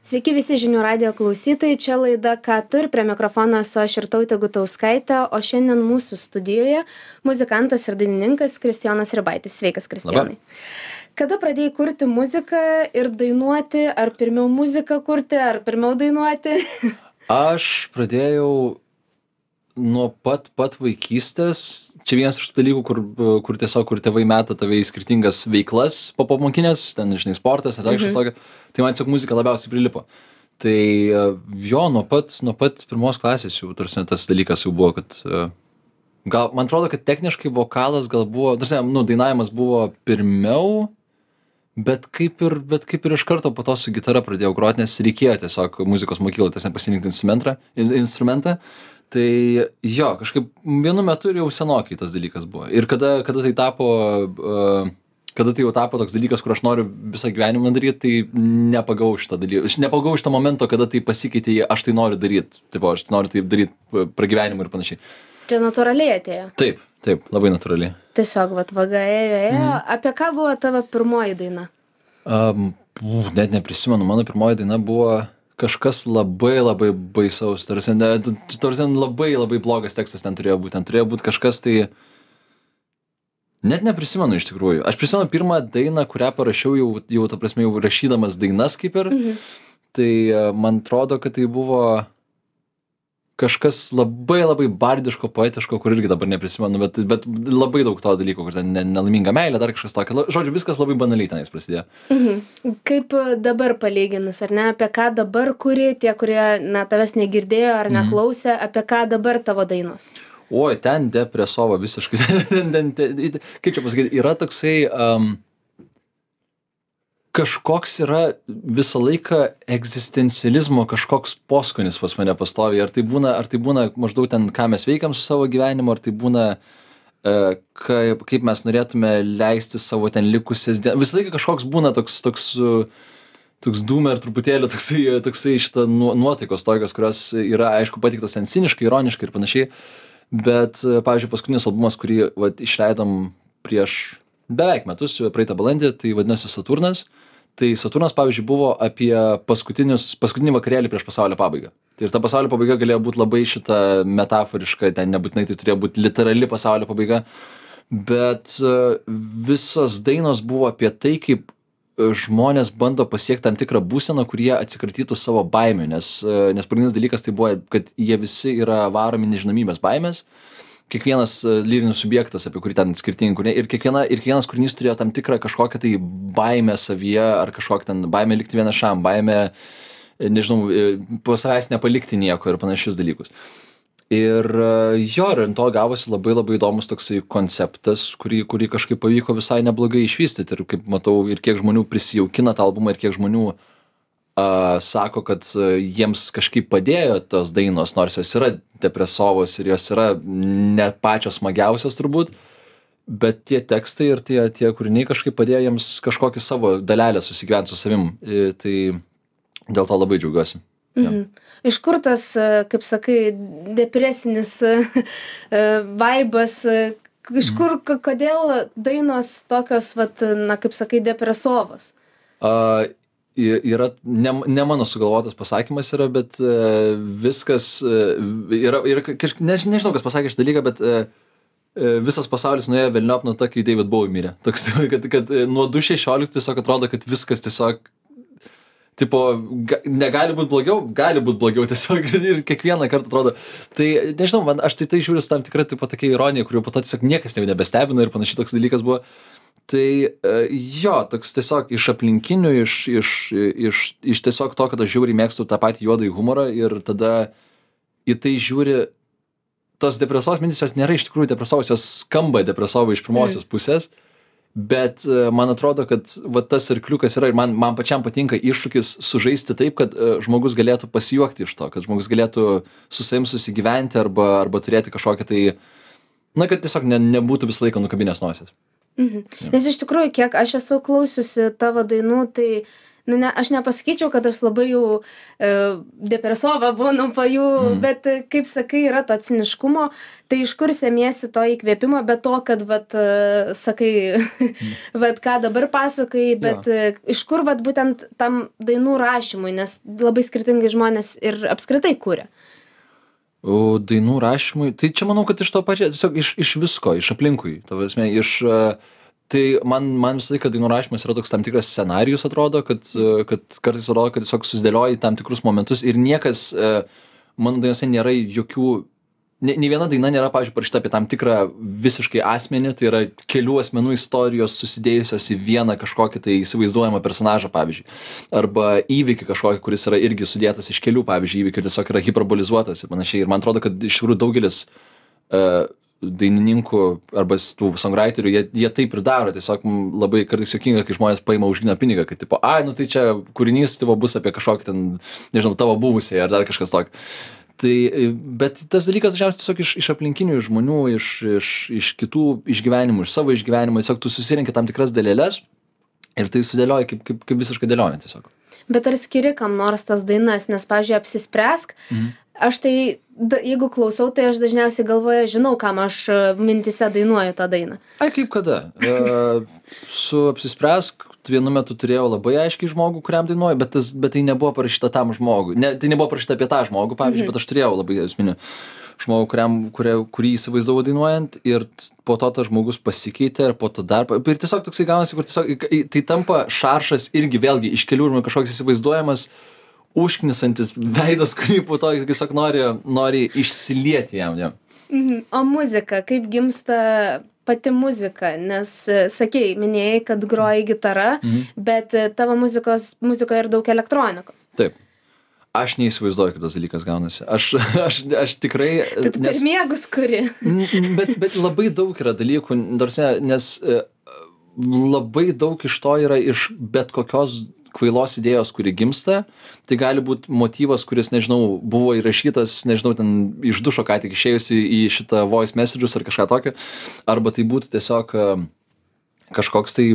Sveiki visi žinių radijo klausytojai, čia laida Ką tu ir prie mikrofono esu aš Irtautė Gutauskaitė, o šiandien mūsų studijoje muzikantas ir dainininkas Kristijonas Ribaitis. Sveikas, Kristijonai. Kada pradėjai kurti muziką ir dainuoti, ar pirmiau muziką kurti, ar pirmiau dainuoti? Aš pradėjau nuo pat vaikystės. Čia vienas iš tų dalykų, kur tėvai meta tave į skirtingas veiklas popamokinės, ten, žinai, sportas, ar kažkas tokio. Tai man tiesiog muzika labiausiai prilipo. Tai jo, nuo pat pirmos klasės jau, tarsi, tas dalykas jau buvo, kad gal, man atrodo, kad techniškai vokalas gal buvo, tarsi, dainavimas buvo pirmiau, bet kaip ir iš karto po to su gitara pradėjau groti, nes reikėjo tiesiog muzikos mokyklai, tarsi, pasirinkti instrumentą. Tai jo, kažkaip vienu metu ir jau senokai tas dalykas buvo. Ir kada tai jau tapo toks dalykas, kur aš noriu visą gyvenimą daryti, tai nepagavau šitą dalyką. Aš nepagavau šitą momento, kada tai pasikeitė į aš tai noriu daryti. Taip, aš noriu taip daryti pragyvenimų ir panašiai. Čia natūraliai atėjo? Taip, labai natūraliai. Tiesiog, vaga ėjo. Apie ką buvo tavo pirmoji daina? Net neprisimenu. Mano pirmoji daina buvo kažkas labai baisaus. Tarsi labai blogas tekstas ten turėjo būti. Ten turėjo būti kažkas tai... Net neprisimenu iš tikrųjų. Aš prisimenu pirmą dainą, kurią parašiau jau ta prasme, jau rašydamas dainas kaip ir. Tai man atrodo, kad tai buvo kažkas labai bardiško, poetiško, kur irgi dabar neprisimenu, bet labai daug to dalyko, kur ten nelaiminga meilė, dar kažkas tokio. Žodžiu, viskas labai banaliai tenais prasidėjo. Kaip dabar palyginus, ar ne, apie ką dabar kuri, tie, kurie tavęs negirdėjo ar neklausė, apie ką dabar tavo dainos? Oi, ten depresova visiškai. Kaip čia pasakyti, yra toksai... kažkoks yra visą laiką egzistencializmo kažkoks poskonis pas mane pastoviai. Ar tai būna maždaug ten, ką mes veikiam su savo gyvenimu, ar tai būna, kaip mes norėtume leisti savo ten likusias dienas. Visą laiką kažkoks būna toks dūmer truputėlį, toksai šitą nuotaikos tokios, kurios yra, aišku, pateiktos ten ciniškai, ironiškai ir panašiai. Bet, pavyzdžiui, paskutinis albumas, kurį išleidom prieš beveik metus, praeitą balandį, tai vadinasi Saturnas. Tai Saturnas, pavyzdžiui, buvo apie paskutinį vakarėlį prieš pasaulio pabaigą. Ir ta pasaulio pabaiga galėjo būti labai šita metaforiška, ten nebūtinai tai turėjo būti literali pasaulio pabaiga. Bet visos dainos buvo apie tai, kaip žmonės bando pasiekti tam tikrą būseną, kur jie atsikratytų savo baimių. Nes pagrindinis dalykas tai buvo, kad jie visi yra varomi nežinomybės baimės. Kiekvienas lyrinis subjektas, apie kurį ten skirtingi kūriniai, ir kiekvienas kūrinys turėjo tam tikrą kažkokią tai baimę savyje, ar kažkokią ten baimę likti vienišam, baimę, nežinau, po savęs nepalikti nieko ir panašius dalykus. Ir jo, ir ant to gavosi labai įdomus toksai konceptas, kurį kažkaip pavyko visai neblogai išvystyti. Ir kaip matau, ir kiek žmonių prisijaukina tą albumą, ir kiek žmonių sako, kad jiems kažkaip padėjo tos dainos, nors jos yra depresovos ir jos yra ne pačios smagiausios turbūt, bet tie tekstai ir tie kūriniai kažkaip padėjo jiems kažkokį savo dalelę susigyventi su savim. Tai dėl to labai džiaugiuosi. Iš kur tas, kaip sakai, depresinis vaibas, iš kur, kodėl dainos tokios, kaip sakai, depresovos? Yra, ne mano sugalvotas pasakymas yra, bet viskas yra nežinau, kas pasakė šitą dalyką, bet visas pasaulis nuėjo velniop nuo to, kai David Bowie mirė. Toks, kad nuo 2016 tiesiog atrodo, kad viskas tiesiog tipo, negali būti blogiau tiesiog ir kiekvieną kartą atrodo. Tai nežinau, aš tai žiūriu su tam tikra tipo tokia ironija, kuriuo po to tiesiog niekas nebestebina ir panašiai toks dalykas buvo. Tai jo, toks tiesiog iš aplinkinių, iš tiesiog to, kad aš žiūriai mėgstu tą patį juodąjį humorą ir tada į tai žiūri, tos depresovos mintys, jos nėra iš tikrųjų depresovos, jos skamba depresovai iš pirmosios pusės, bet man atrodo, kad tas arkliukas yra ir man pačiam patinka iššūkis sužaisti taip, kad žmogus galėtų pasijuokti iš to, kad žmogus galėtų su savim susigyventi arba turėti kažkokią tai, kad tiesiog nebūtų visą laiką nukabinės nosies. Nes iš tikrųjų, kiek aš esu klausiusi tavo dainų, tai ne, aš nepasakyčiau, kad aš labai jau depresova būnu po jų, bet kaip sakai, yra to ciniškumo, tai iš kur semiesi to įkvėpimo, bet to, kad, vat, sakai, vat, ką dabar pasakai, bet iš kur, vat, būtent tam dainų rašymui, nes labai skirtingai žmonės ir apskritai kuria. O dainų rašymui, tai čia manau, kad iš to pačio, tiesiog iš visko, iš aplinkui, tai man visą laiką dainų rašymas yra toks tam tikras scenarijus, atrodo, kad kartais atrodo, kad tiesiog susidėlioji tam tikrus momentus ir niekas, mano dainose nėra jokių, nei viena daina nėra, pavyzdžiui, parašyta apie tam tikrą visiškai asmenį, tai yra kelių asmenų istorijos susidėjusios į vieną kažkokį tai įsivaizduojamą personažą, pavyzdžiui, arba įvykį kažkokį, kuris yra irgi sudėtas iš kelių, pavyzdžiui, įvykių ir tiesiog yra hiperbolizuotas ir panašiai. Ir man atrodo, kad iš tikrųjų daugelis dainininkų arba tų songwriterių, jie taip ir daro, tiesiog labai kartais juokinga, kai žmonės paima už gryną pinigą, kad tipo, nu tai čia kūrinys tipo bus apie kažkokį ten, nežinau, tavo buvusiai ar dar kažkas tokio. Tai, bet tas dalykas dažniausiai tiesiog iš aplinkinių žmonių, iš kitų išgyvenimų, iš savo išgyvenimų, tiesiog tu susirenki tam tikras dalėles ir tai sudėlioji kaip visiškai dėlionė tiesiog. Bet ar skiri kam nors tas dainas, nes, pavyzdžiui, Apsispręsk, aš tai, jeigu klausau, tai aš dažniausiai galvoju, žinau, kam aš mintise dainuoju tą dainą. Ai, kaip kada? Su Apsispręsk vienu metu turėjau labai aiškiai žmogų, kuriam dainuoju, bet tai nebuvo parašyta tam žmogui. Tai nebuvo parašyta apie tą žmogų, pavyzdžiui, bet aš turėjau labai esminį žmogų, kurį įsivaizdavau dainuojant ir po to tas žmogus pasikeitė ir po to dar. Ir tiesiog toksai gaunasi, kur tiesiog tai tampa šaršas irgi vėlgi iš kelių ir kažkoks įsivaizduojamas užknisantis veidas, kurį po to tiesiog nori išsilieti jam. O muzika, kaip gimsta pati muzika, nes sakei, minėjai, kad groji gitara, bet tavo muzikoje ir daug elektronikos. Taip. Aš neįsivaizduoju, kaip tas dalykas gaunasi. Aš tikrai... Tai tu per miegus kuri. Bet labai daug yra dalykų, nes labai daug iš to yra iš bet kokios kvailos idėjos, kuri gimsta. Tai gali būti motyvas, kuris, nežinau, buvo įrašytas, nežinau, ten iš dušo ką tik išėjusi į šitą voice messages ar kažką tokio. Arba tai būtų tiesiog kažkoks tai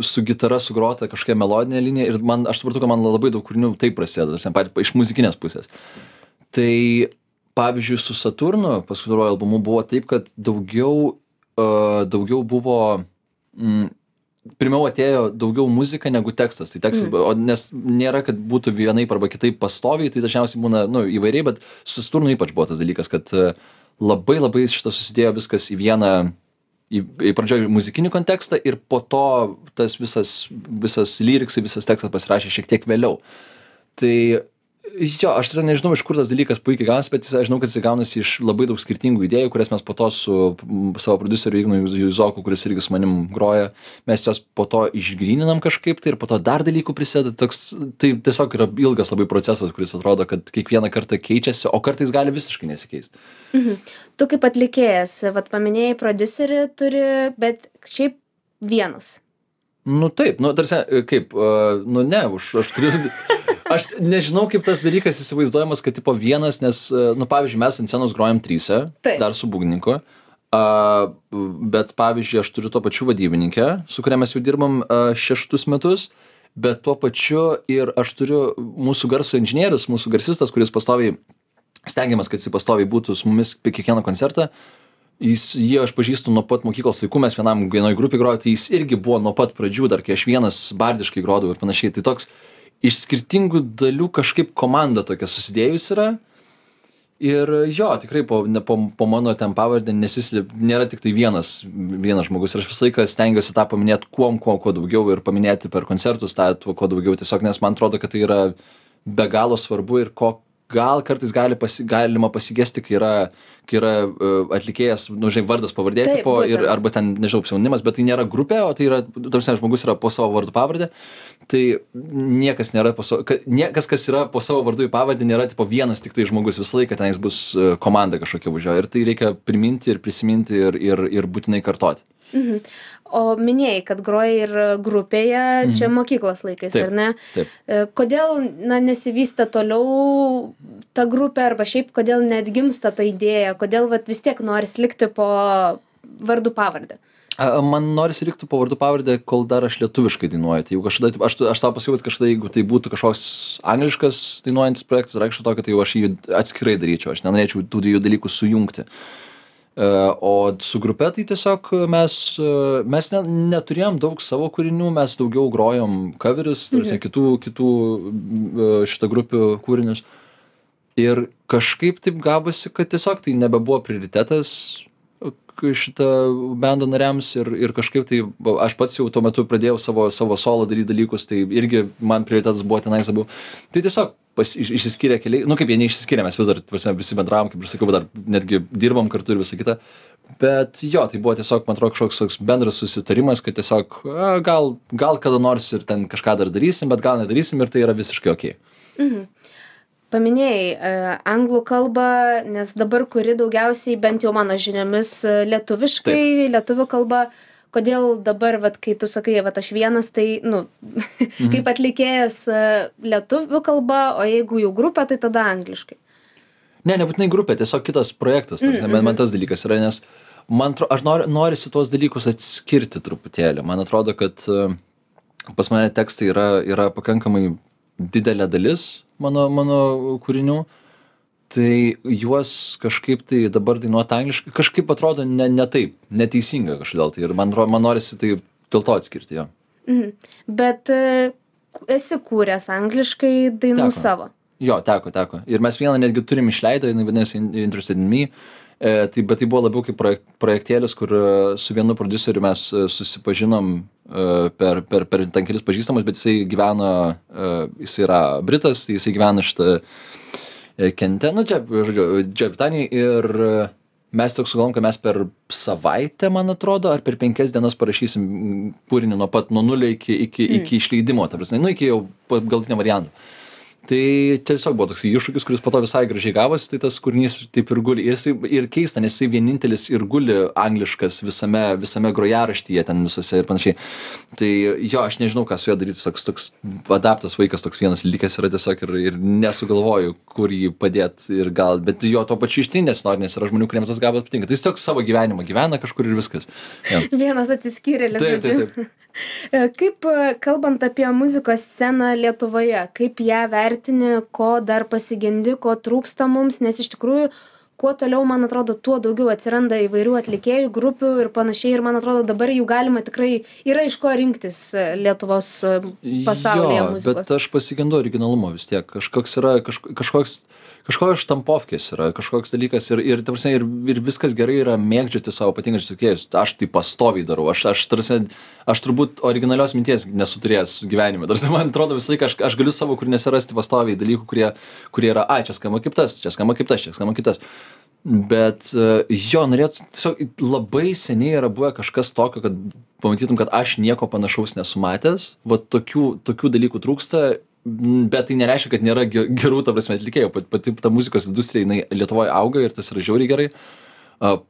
su gitara sugrota kažkokia melodinė linija ir aš supratau, kad man labai daug kūrinių taip prasideda, iš muzikinės pusės. Tai, pavyzdžiui, su Saturnu paskutiniuoju albumu buvo taip, kad daugiau buvo... Pirmiau atėjo daugiau muzika negu tekstas. Tai tekstas, nes nėra, kad būtų vienaip arba kitaip pastoviai, tai dažniausiai būna įvairiai, bet su Saturnu ypač buvo tas dalykas, kad labai šitą susidėjo viskas į vieną, į pradžioj muzikinį kontekstą ir po to tas visas lyriksai, visas tekstas pasirašė šiek tiek vėliau. Tai jo, aš tiesiog nežinau, iš kur tas dalykas puikiai gaunasi, bet aš žinau, kad jis gaunasi iš labai daug skirtingų idėjų, kurias mes po to su savo prodiuseriu Ignu Juzoku, kuris irgi su manim groja, mes jos po to išgryninam kažkaip, tai ir po to dar dalykų prisideda. Tai tiesiog yra ilgas labai procesas, kuris atrodo, kad kiekvieną kartą keičiasi, o kartais gali visiškai nesikeisti. Tu kaip atlikėjas, vat paminėjai prodiuserį turi, bet šiaip vienas. Nu taip, tarsi, kaip, ne, aš turiu... Aš nežinau, kaip tas dalykas įsivaizduojamas, kad tipo vienas, nes, pavyzdžiui, mes ant scenos grojam tryse, dar su būgnininku, bet, pavyzdžiui, aš turiu tuo pačiu vadybininkę, su kuria mes jau dirbam 6 metus, bet tuo pačiu ir aš turiu mūsų garso inžinierius, mūsų garsistas, kuris pastoviai, stengiamas, kad jis pastoviai būtų su mumis apie kiekvieną koncertą. Jį aš pažįstu nuo pat mokyklos laikų, mes vienoj grupėj grojom, tai jis irgi buvo nuo pat pradžių, dar kai aš vienas bardiškai grodavau ir panašiai. Tai toks iš skirtingų dalių kažkaip komanda tokia susidėjus yra. Ir jo, tikrai po mano ten pavardę nėra tik tai vienas žmogus. Ir aš visą laiką stengiuosi tą paminėti kuo daugiau ir paminėti per koncertus tą kuo daugiau. Tiesiog, nes man atrodo, kad tai yra be galo svarbu ir gal kartais galima pasigesti, kai yra atlikėjas, vardas pavardė tipo, arba ten, nežinau, pseudonimas, bet tai nėra grupė, o tai yra, žmogus yra po savo vardu pavardę. Tai niekas nėra kas yra po savo vardu į pavardę, nėra tipo vienas tik tai žmogus, visą laiką tenais bus komanda kažkokia važiuoja. Ir tai reikia priminti ir prisiminti ir būtinai kartoti. O minėjai, kad groji ir grupėje, čia mokyklos laikais, ar ne? Taip. Kodėl nesivystė toliau ta grupė, arba šiaip kodėl neatgimsta ta idėja, kodėl vis tiek noris likti po vardu pavardę? Man norisi likti po vardu pavardę, kol dar aš lietuviškai dainuoju. Tai jau kažkada, aš tau pasakiau, kad kažkada, jeigu tai būtų kažkoks angliškas dainuojantis projektas, reikštų to, kad tai jau aš jį atskirai daryčiau. Aš nenorėčiau tų dviejų dalykų sujungti. O su grupe tai tiesiog mes neturėjom daug savo kūrinių, mes daugiau grojom coverius, kitų šitą grupių kūrinius. Ir kažkaip taip gavosi, kad tiesiog tai nebebuvo prioritetas šitą bendo nariams ir kažkaip tai aš pats jau tuo metu pradėjau savo solo daryti dalykus, tai irgi man prioritetas buvo tenais abu. Tai tiesiog išsiskyrė keliai, kaip jie neišsiskyrė, mes vis dar visi bendravom, kaip ir sakiau, dar netgi dirbam kartu ir visą kitą. Bet jo, tai buvo tiesiog, man atrodo, kažkoks bendras susitarimas, kad tiesiog gal kada nors ir ten kažką dar darysim, bet gal nedarysim ir tai yra visiškai okei. Paminėjai anglų kalbą, nes dabar kuri daugiausiai, bent jau mano žiniomis, lietuviškai, lietuvių kalba. Kodėl dabar, kai tu sakai, aš vienas, tai, kaip atlikėjas lietuvių kalba, o jeigu jau grupė, tai tada angliškai? Ne, nebūtinai grupė, tiesiog kitas projektas. Man tas dalykas yra, nes aš norisi tuos dalykus atskirti truputėlį. Man atrodo, kad pas mane tekstai yra pakankamai didelė dalis mano kūrinių, tai juos kažkaip tai dabar dainuoti angliškai, kažkaip atrodo ne taip, neteisinga kažkodėl tai ir man norisi tai dėl to atskirti, jo. Bet esi kūręs angliškai dainų savo? Jo, teko. Ir mes vieną netgi turim išleidę, jinai vadinasi Interested in Me, bet tai buvo labiau kaip projektėlis, kur su vienu prodiuseriu mes susipažinom per ten kelis pažįstamus, bet jisai gyveno, jisai yra Britas, tai jisai gyvena šitą Kente, čia Britanijai, ir mes toks sugalvom, kad mes per savaitę, man atrodo, ar per 5 dienas parašysim kūrinį nuo nulio iki išleidimo, ta prasme, iki jau galutinio varianto. Tai tiesiog buvo toks iššūkis, kuris po to visai gražiai gavosi, tai tas kūrinys taip ir guli. Ir keista, nes jisai vienintelis ir guli angliškas visame grojaraštyje ten visose ir panašiai. Tai jo, aš nežinau, ką su juo daryti, toks adaptas vaikas, toks vienas likęs yra tiesiog ir nesugalvoju, kur jį padėti ir gal, bet jo to pačiu ištrinės nori, nes yra žmonių, kuriems tas gabalas patinka. Tai jis tiesiog savo gyvenimą gyvena kažkur ir viskas. Ja. Vienas atsiskyrėlis, žodžiu. Taip. Kaip, kalbant apie muzikos sceną Lietuvoje, kaip ją vertini, ko dar pasigendi, ko trūksta mums, nes iš tikrųjų, kuo toliau, man atrodo, tuo daugiau atsiranda įvairių atlikėjų, grupių ir panašiai, ir man atrodo, dabar jau galima tikrai, yra iš ko rinktis Lietuvos pasaulyje muzikos. Bet aš pasigendu originalumo vis tiek, kažkoks štampovkės yra, kažkoks dalykas ir viskas gerai yra mėgdžioti savo patinkančius atlikėjus. Aš tai pastoviai darau, aš turbūt originalios minties nesu turėjęs gyvenime. Man atrodo visą laiką, aš galiu savo kūriniuose rasti pastoviai dalykų, kurie yra, čia skamba kaip tas, čia skamba kaip tas. Bet jo, norėtų, tiesiog labai seniai yra buvę kažkas tokio, kad pamatytum, kad aš nieko panašaus nesu matęs, tokių dalykų trūksta. Bet tai nereiškia, kad nėra gerų, ta prasme, atlikėjų. Pati ta muzikos industrija, jinai Lietuvoje auga ir tas yra žiauriai gerai.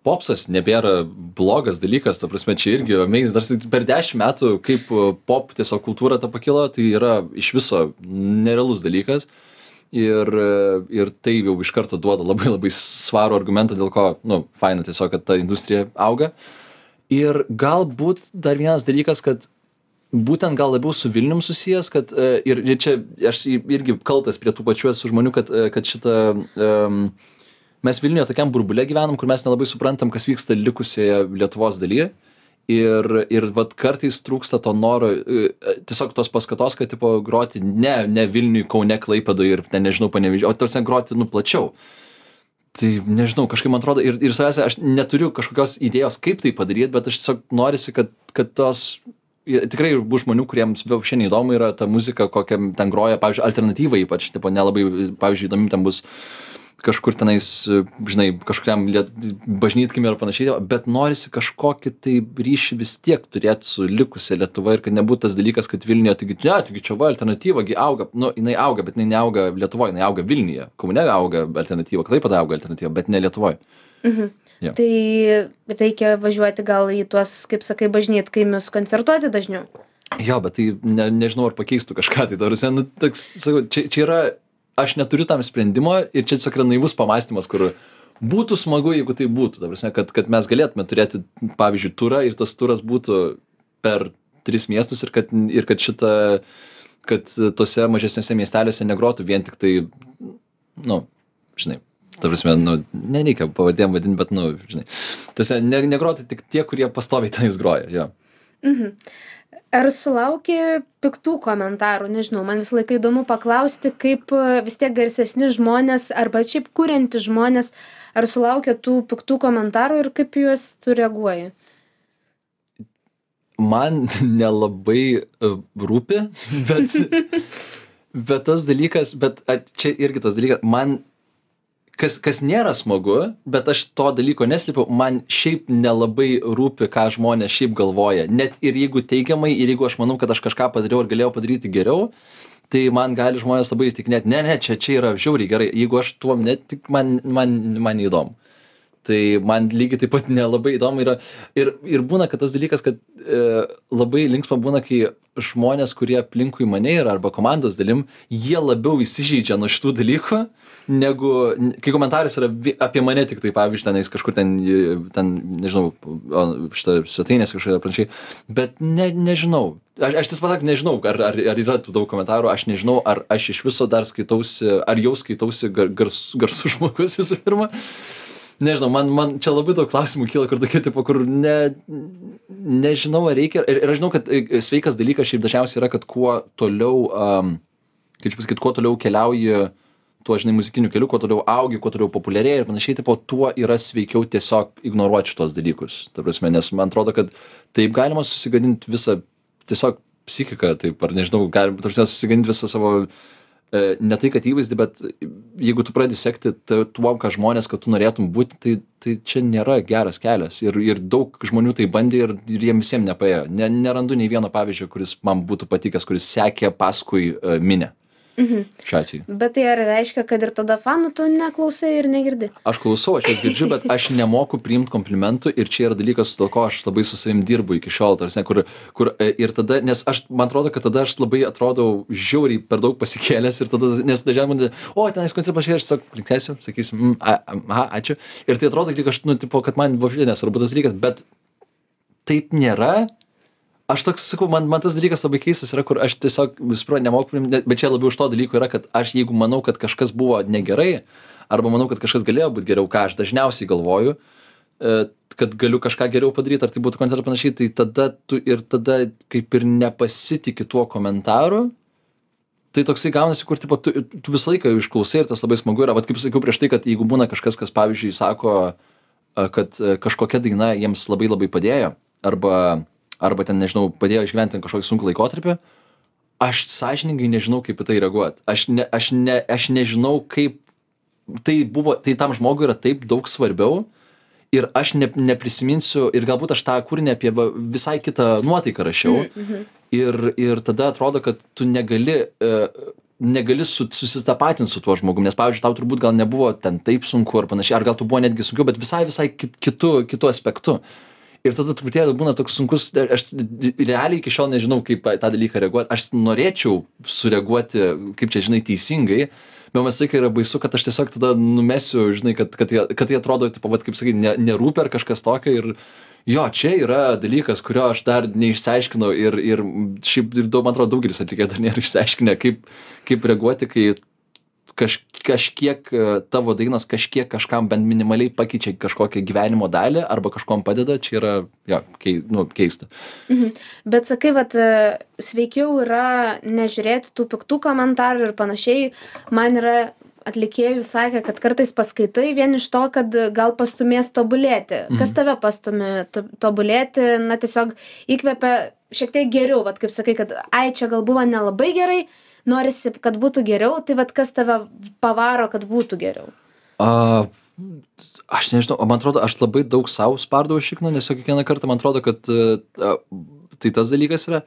Popsas nebėra blogas dalykas, ta prasme, čia irgi amazing. Dar per 10 metų, kaip pop tiesiog kultūra ta pakilo, tai yra iš viso nerealus dalykas. Ir tai jau iš karto duoda labai labai svarų argumentą, dėl ko, faina tiesiog, kad ta industrija auga. Ir galbūt dar vienas dalykas, kad būtent gal labiau su Vilnium susijęs, kad ir čia aš irgi kaltas prie tų pačių esu žmonių, kad šitą mes Vilniuje tokiam burbule gyvenam, kur mes nelabai suprantam, kas vyksta likusioje Lietuvos dalyje. Ir kartais trūksta to noro, tiesiog tos paskatos, kad tipo groti ne Vilniui, Kaune, Klaipėdoje ir nežinau, Panevėžyje, o tarsi groti plačiau. Tai nežinau, kažkaip man atrodo, ir savęs aš neturiu kažkokios idėjos, kaip tai padaryti, bet aš tiesiog norisi, kad tos tikrai bus žmonių, kuriems šiandien įdomu yra ta muzika, kokią ten groja, pavyzdžiui, alternatyva ypač, tipo nelabai, pavyzdžiui, įdomi ten bus kažkur tenais, žinai, kažkuriam bažnytkaimį ir panašiai, bet norisi kažkokį tai ryšį vis tiek turėti su likusia Lietuva ir kad nebūtų tas dalykas, kad Vilniuje, taigi čia alternatyva, auga, jinai auga, bet jinai neauga Lietuvoje, jinai auga Vilniuje, Kaune auga alternatyva, Klaipėdoje auga alternatyva, bet ne Lietuvoje. Ja. Tai reikia važiuoti gal į tuos, kaip sakai, bažnytkaimius koncertuoti dažniau? Jo, bet tai nežinau, ar pakeistų kažką. Tai čia yra, aš neturiu tam sprendimo ir čia tiesiog yra naivus pamąstymas, kur būtų smagu, jeigu tai būtų. Ta prasme, kad mes galėtume turėti, pavyzdžiui, turą ir tas turas būtų per 3 miestus ir kad tose mažesniuose miesteliuose negrotų vien tik tai, žinai, ta prasme, nereikia pavardėm vadinti, bet, žinai, tose negrotų tik tie, kurie pastoviai tenais groja, jo. Ar sulauki piktų komentarų? Nežinau, man visą laiką įdomu paklausti, kaip vis tiek garsesni žmonės arba šiaip kurianti žmonės, ar sulaukia tų piktų komentarų ir kaip juos tu reaguoji? Man nelabai rūpi, bet tas dalykas, čia irgi tas dalykas, man, kas nėra smagu, bet aš to dalyko neslėpiau, man šiaip nelabai rūpi, ką žmonės šiaip galvoja. Net ir jeigu teigiamai, ir jeigu aš manau, kad aš kažką padariau ir galėjau padaryti geriau, tai man gali žmonės labai įtikinėti, ne, čia yra žiauriai gerai, jeigu aš tuom netik, man neįdomu. Tai man lygiai taip pat nelabai įdomu yra. Ir būna, kad tas dalykas, kad labai linksma būna, kai žmonės, kurie aplinkui mane yra arba komandos dalim, jie labiau įsižeidžia nuo šitų dalykų, negu, kai komentaras yra apie mane tik tai, pavyzdžiui, tenais kažkur ten nežinau, šitą svetainės kažkokia panašiai, bet nežinau. Aš tiesą pasak nežinau, ar yra tų daug komentarų, aš nežinau, ar aš iš viso dar skaitausi, ar jau skaitausi garsų žmogus visų pirma. Nežinau, man čia labai daug klausimų kyla, kur tokie tipo, kur nežinau, ar reikia. Ir aš žinau, kad sveikas dalykas šiaip dažniausiai yra, kad kuo toliau, kaip čia pasakyti, kuo toliau keliauji tuo, žinai, muzikiniu keliu, kuo toliau augi, kuo toliau populiarėja ir panašiai, tipo, tuo yra sveikiau tiesiog ignoruoti šitos dalykus. Ta prasme, nes man atrodo, kad taip galima susigadinti visą tiesiog psichiką, taip, ar nežinau, galima susigadinti visą savo ne tai, kad įvaizdį, bet jeigu tu pradedi sekti tuom, ką žmonės, kad tu norėtum būti, tai čia nėra geras kelias. Ir daug žmonių tai bandė ir jiem visiems nepaėjo. Nerandu nei vieno pavyzdžio, kuris man būtų patikęs, kuris sekė paskui minę. Šiuo atveju. Bet tai ar reiškia, kad ir tada fanų tu neklausai ir negirdi? Aš klausau, aš jas girdžiu, bet aš nemoku priimti komplimentų ir čia yra dalykas, dėl ko aš labai su savim dirbu iki šiol, tarsi, kur ir tada, nes man atrodo, kad tada aš labai atrodau žiauriai per daug pasikėlęs ir tada, nes dažniausiai, tenais koncertas pažiūrėjau, aš tiesiog linksėsiu, sakysim, aha, ačiū. Ir tai atrodo, kad man buvo nesvarbu tas dalykas, bet taip nėra. Aš toks sakau, man tas dalykas labai keistas yra, kur aš tiesiog visprą nemoku, bet čia labiau už to dalyko yra, kad aš jeigu manau, kad kažkas buvo negerai, arba manau, kad kažkas galėjo būti geriau, ką aš dažniausiai galvoju, kad galiu kažką geriau padaryti, ar tai būtų koncertas panašiai, tai tada kaip ir nepasitiki tuo komentaru, tai toksai gaunasi, kur tipo, tu visą laiką išklausai ir tas labai smagu yra, vat kaip sakiau prieš tai, kad jeigu būna kažkas, kas pavyzdžiui sako, kad kažkokia daina jiems labai labai padėjo, arba ten, nežinau, padėjo išgyventi kažkokį sunkų laikotarpį, aš sąžiningai nežinau, kaip į tai reaguoti. Aš nežinau, kaip tai tam žmogui yra taip daug svarbiau ir aš neprisiminsiu, ir galbūt aš tą kūrinį apie visai kitą nuotaiką rašiau ir tada atrodo, kad tu negali susitapatinti su tuo žmogum, nes, pavyzdžiui, tau turbūt gal nebuvo ten taip sunku ar panašiai, ar gal tu buvo netgi sunkiau, bet visai kitu aspektu. Ir tada truputėlį būna toks sunkus, aš realiai iki šiol nežinau, kaip tą dalyką reaguoti. Aš norėčiau sureaguoti, kaip čia, žinai, teisingai, bet man visai yra baisu, kad aš tiesiog tada numesiu, žinai, kad tai atrodo, tipo, kaip sakai, nerūpi ar kažkas tokio. Ir jo, čia yra dalykas, kurio aš dar neišsiaiškinau ir šiaip, man atrodo, daugelis atlikėjų dar nėra išsiaiškinę, kaip reaguoti, kai kažkiek tavo dainos kažkam bent minimaliai pakeičia kažkokią gyvenimo dalį arba kažkom padeda, čia yra keista. Bet sakai, sveikiau yra nežiūrėti tų piktų komentarų ir panašiai. Man yra atlikėjų sakė, kad kartais paskaitai vien iš to, kad gal pastumės tobulėti. Kas tave pastumė tobulėti, tiesiog įkvepia šiek tiek geriau, kaip sakai, kad čia gal buvo nelabai gerai, norisi, kad būtų geriau, tai kas tave pavaro, kad būtų geriau? Aš nežinau, man atrodo, aš labai daug savo spardau šikną, nes kiekvieną kartą man atrodo, kad tai tas dalykas yra.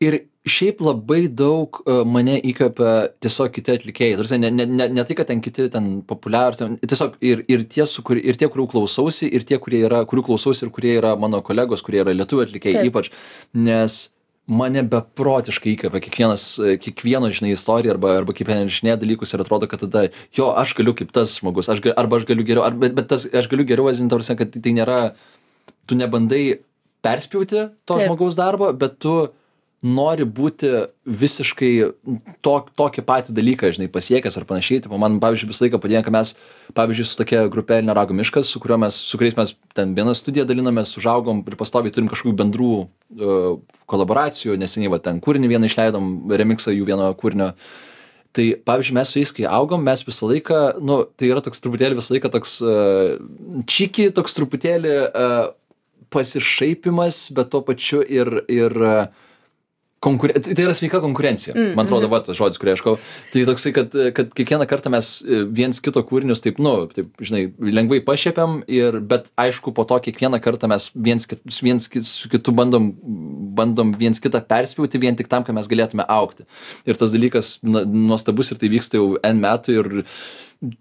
Ir šiaip labai daug mane įkvepia tiesiog kiti atlikėjai. Ne tai, kad ten kiti populiarūs, tiesiog ir tie, kurių klausausi, ir tie, kurių klausausi ir kurie yra mano kolegos, kurie yra lietuvių atlikėjai ypač, nes mane beprotiškai įkvepia kiekvieno, žinai, istorija arba kaip įrašinėja dalykus ir atrodo, kad tada, jo, aš galiu kaip tas žmogus, arba aš galiu geriau, bet tas aš galiu geriau, ta prasme, kad tai nėra, tu nebandai perspjauti to žmogaus darbo, bet tu nori būti visiškai tokį patį dalyką, žinai, pasiekęs ar panašiai. Tipo, man, pavyzdžiui, visą laiką padėjo, kad mes, pavyzdžiui, su tokia grupė Elnio rago miškas, su kuriais mes ten vieną studiją dalinomės, užaugom ir pastoviai turim kažkokių bendrų kolaboracijų, neseniai va ten kūrinį vieną išleidom, remixą jų vieno kūrinio. Tai, pavyzdžiui, mes su jais, kai augom, mes visą laiką, nu, tai yra toks truputėlį visą laiką toks čiki, toks truputėlį pasišaipimas, bet tuo pačiu ir tai yra sveika konkurencija. Man atrodo, va, tas žodis, kurį aš kau. Tai toksai, kad kiekvieną kartą mes viens kito kūrinius taip, nu, taip, žinai, lengvai pašiepiam, bet aišku, po to kiekvieną kartą mes viens su kitu bandom viens kitą perspjauti vien tik tam, kad mes galėtume augti. Ir tas dalykas nuostabus ir tai vyksta jau N metų ir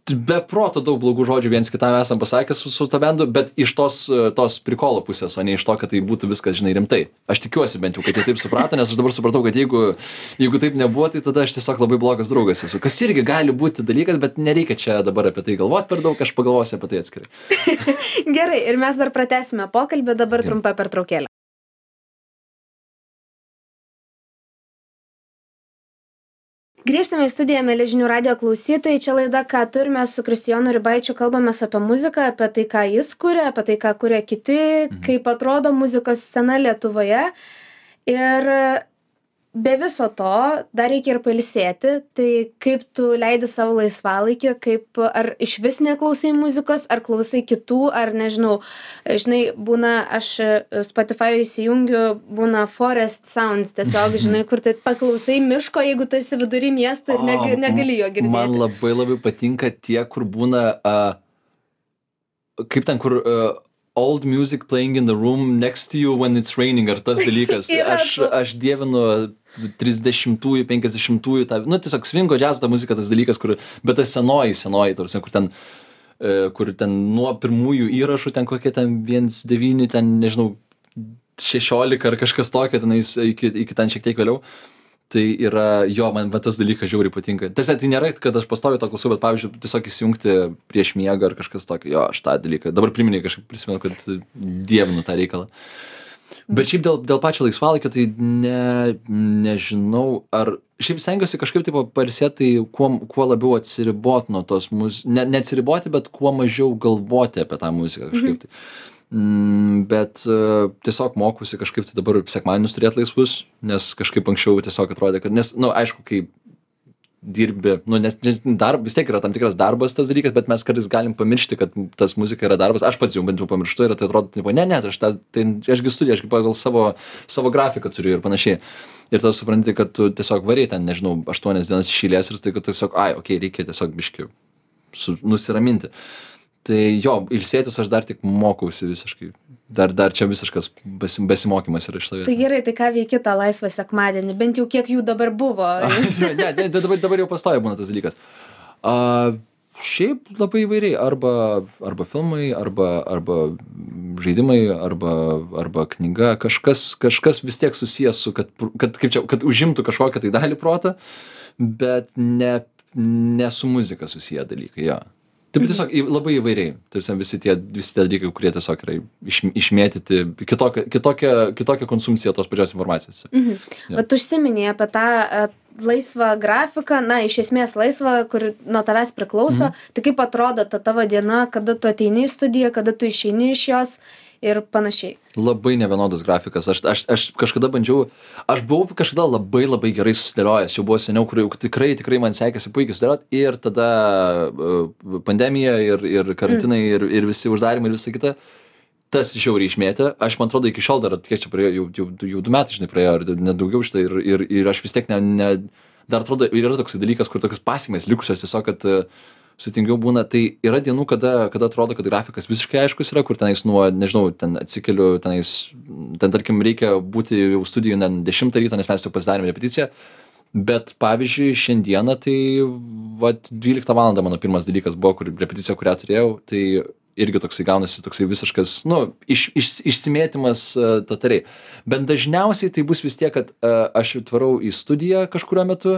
be proto daug blogų žodžių viens kitam esam pasakęs su to bendu, bet iš tos prikolo pusės, o ne iš to, kad tai būtų viskas, žinai, rimtai. Aš tikiuosi bent jau, kad jie taip suprato, nes aš dabar supratau, kad jeigu taip nebuvo, tai tada aš tiesiog labai blogas draugas esu. Kas irgi gali būti dalykas, bet nereikia čia dabar apie tai galvoti per daug, aš pagalvosiu apie tai atskirai. Gerai, ir mes dar pratęsime pokalbį, dabar trumpa pertraukėlė. Grįžtame į studiją, mieli žinių radijo klausytojai. Čia laida, ką turime su Kristijonu Ribaičiu, kalbamės apie muziką, apie tai, ką jis kuria, apie tai, ką kuria kiti, kaip atrodo muzikos scena Lietuvoje. Ir be viso to dar reikia ir pailsėti. Tai kaip tu leidi savo laisvalaikį, ar iš vis neklausai muzikos, ar klausai kitų, ar nežinau, žinai, būna, aš Spotify įsijungiu, būna Forest Sounds, tiesiog, žinai, kur tai paklausai miško, jeigu tu esi vidury miesto ir negali jo girdėti. Man labai patinka tie, kur būna, kaip ten, kur old music playing in the room next to you when it's raining, ar tas dalykas. Aš dievinu 30-ųjų, 50-ųjų, nu tiesiog svingo džiazo ta muzika, tas dalykas, bet tas senoji, tarsi, kur ten nuo pirmųjų įrašų, ten kokie ten 1.9, ten nežinau, 16 ar kažkas tokio, tenais iki ten šiek tiek vėliau. Tai yra, jo, man tas dalykas žiauriai patinka. Tiesa, tai nėra, kad aš pastoviai to klausau, bet pavyzdžiui, tiesiog įsijungti prieš miegą ar kažkas tokio, jo, aš tą dalyką. Dabar kažkaip prisimenu, kad dievinu tą reikalą. Bet šiaip dėl pačio laisvalaikio, tai nežinau, ar šiaip stengiuosi kažkaip taip pailsėti, tai kuo labiau atsiriboti nuo tos muzikos, ne atsiriboti, bet kuo mažiau galvoti apie tą muziką kažkaip tai. Bet tiesiog mokusi kažkaip tai dabar sekmadienius turėti laisvus, nes kažkaip anksčiau tiesiog atrodė, kad, nes, nu, aišku, kai dirbi, nu, nes vis tiek yra tam tikras darbas tas dalykas, bet mes kartais galim pamiršti, kad tas muzika yra darbas. Aš pats jau bent jau pamirštu ir tai atrodo, ašgi studiją, ašgi pagal savo grafiką turiu ir panašiai. Ir tada supranti, kad tu tiesiog variai ten, nežinau, 8 dienas iš eilės ir tai, kad tiesiog, reikia tiesiog biškį nusiraminti. Tai jo, ilsėtis aš dar tik mokausi visiškai. Dar čia visiškas besimokymas yra iš to. Tai gerai, tai ką veiki tą laisvą sekmadienį? Bent jau kiek jų dabar buvo? Ne, dabar jau pastoja būna tas dalykas. Šiaip labai įvairiai. Arba filmai, arba žaidimai, arba knyga. Kažkas vis tiek susijęs su, kad užimtų kažkokią tai dalį protą, bet ne su muzika susiję dalykai, jo. Taip tiesiog labai įvairiai. Visi tie dalykai, kurie tiesiog yra išmėtyti, kitokia konsumpcija tos pačios informacijos. Bet užsiminėjai apie tą laisvą grafiką, na, iš esmės laisvą, kur nuo tavęs priklauso. Tai kaip atrodo ta tavo diena, kada tu ateini į studiją, kada tu išeini iš jos ir panašiai? Labai nevienodas grafikas. Aš kažkada bandžiau, aš buvau kažkada labai gerai susidėliojęs, jau buvo seniau, kur tikrai man sekėsi puikiai susidėlioti, ir tada pandemija ir karantinai ir visi uždarimai ir visa kita, tas žiauriai išmėtė. Aš, man atrodo, iki šiol dar, kiek čia praėjo, jau 2 metai, žinai, praėjo, ir nedaugiau šitą, ir aš vis tiek dar atrodo, yra toks dalykas, kur tokios pasekmės likusios tiesiog, kad sutingiau būna. Tai yra dienų, kada atrodo, kad grafikas visiškai aiškus yra, kur tenais nežinau, ten atsikeliu, ten tarkim reikia būti jau studijų 10 ryto, nes mes jau pasidarėm repeticiją, bet pavyzdžiui šiandieną tai 12 valandą mano pirmas dalykas buvo, repeticija, kurią turėjau, tai irgi toksai gaunasi toksai visiškas, išsimėtymas totaliai. Bet dažniausiai tai bus vis tiek, kad aš atvarau į studiją kažkurio metu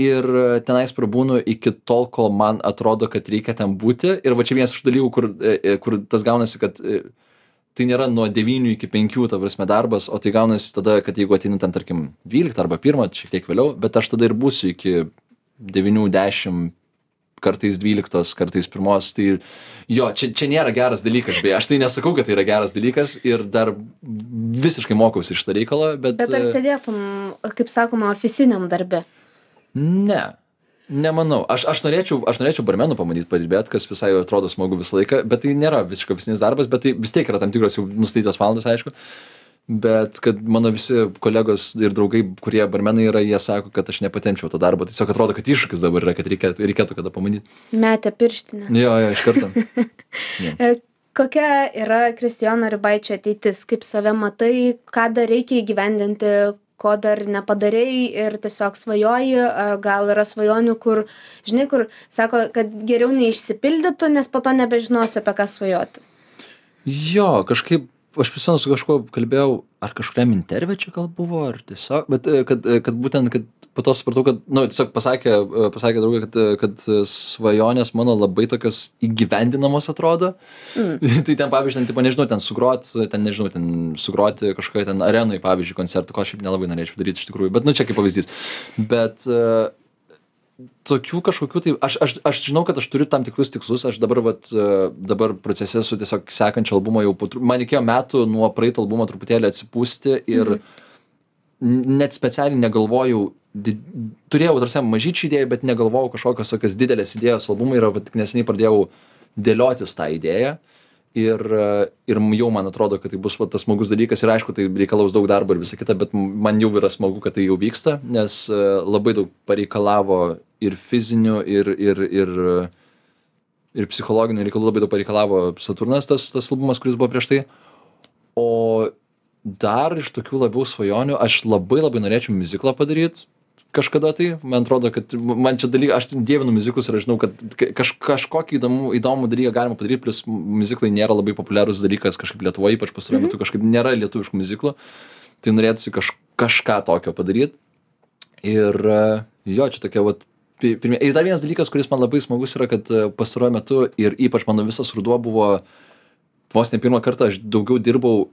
ir tenais prabūnu iki tol, kol man atrodo, kad reikia ten būti. Ir va čia vienas iš dalykų, kur tas gaunasi, kad tai nėra nuo 9 iki 5, ta prasme, darbas, o tai gaunasi tada, kad jeigu ateinu ten, tarkim, 12 arba 1, šiek tiek vėliau, bet aš tada ir būsiu iki 9, 10, kartais 12, kartais 1, tai jo, čia nėra geras dalykas, beje, aš tai nesakau, kad tai yra geras dalykas ir dar visiškai mokausi iš tą reikalą, bet... Bet ar sėdėtum, kaip sakoma, oficiniam darbe? Ne. Nemanau. Aš norėčiau barmenų pamatyti padirbėti, kas visai atrodo smagu visą laiką, bet tai nėra visiškai oficinis darbas, bet tai vis tiek yra tam tikros jau nustatytos valandos, aišku. Bet kad mano visi kolegos ir draugai, kurie barmenai yra, jie sako, kad aš nepatempčiau to darbo. Tiesiog atrodo, kad iššūkis dabar yra, kad reikėtų kada pamatyti. Metė pirštinę. Jo, iš karto. Kokia yra Kristijono Ribaičio ateitis? Kaip save matai, ką dar reikia įgyvendinti, ko dar nepadarei ir tiesiog svajoji, gal yra svajonių, kur, žinai, kur sako, kad geriau neišsipildytų, nes po to nebežinosiu, apie ką svajoti. Jo, kažkaip, aš prisimenu su kažkuo kalbėjau, ar kažkuriam interviu čia gal buvo, ar tiesiog, bet kad būtent, kad po to supratau, kad, tiesiog pasakė draugė, kad svajonės mano labai tokios įgyvendinamos atrodo. Tai ten, pavyzdžiui, nežinau, sugroti kažkoje ten arenui, pavyzdžiui, koncertų, ko aš šiaip nelabai norėčiau daryti iš tikrųjų, bet čia kaip pavyzdys. Bet tokių kažkokių, tai aš žinau, kad aš turiu tam tikrus tikslus, aš dabar procese su tiesiog sekančio albumo jau, man reikėjo metų nuo praeito albumo truputėlį atsipūsti ir net specialiai negalvojau, turėjau tarsi mažyčių idėjų, bet negalvojau kažkokios tokios didelės idėjos albumai ir tik neseniai pradėjau dėliotis tą idėją ir jau man atrodo, kad tai bus tas smagus dalykas ir aišku, tai reikalaus daug darbo ir visą kitą, bet man jau yra smagu, kad tai jau vyksta, nes labai daug pareikalavo ir fizinių, ir psichologinių reikalų, labai daug pareikalavo Saturnas, tas albumas, kuris buvo prieš tai. O dar iš tokių labiau svajonių, aš labai norėčiau miuziklą padaryti kažkada tai, man atrodo, kad man čia dalykai, aš dievinu miuziklus ir aš žinau, kad kažkokį įdomų dalyką galima padaryti, plus miuziklai nėra labai populiarus dalykas kažkaip Lietuvoje, ypač pastaruoju metu kažkaip nėra lietuviškų miuziklų, tai norėtųsi kažką tokio padaryti. Ir jo, čia tokia ir dar vienas dalykas, kuris man labai smagus yra, kad pastaruoju metu ir ypač mano visas ruduo buvo, vos ne pirmą kartą aš daugiau dirbau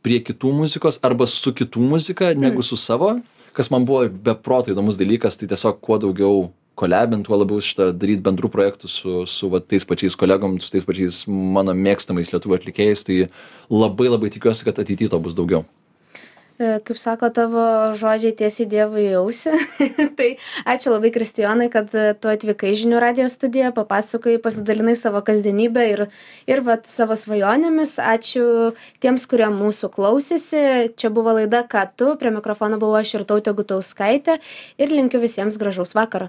prie kitų muzikos arba su kitų muzika negu su savo, kas man buvo beproto įdomus dalykas, tai tiesiog kuo daugiau kolabint, tuo labiau daryti bendrų projektų su tais pačiais kolegom, su tais pačiais mano mėgstamais lietuvių atlikėjais, tai labai tikiuosi, kad ateityje to bus daugiau. Kaip sako tavo žodžiai tiesiai Dievui į ausį. Tai ačiū labai, Kristijonai, kad tu atvykai į Žinių radijo studiją, papasakojai, pasidalinai savo kasdienybę ir savo svajonėmis. Ačiū tiems, kurie mūsų klausėsi. Čia buvo laida Ką tu, prie mikrofono buvau aš Irtautė Gutauskaitė ir linkiu visiems gražaus vakaro.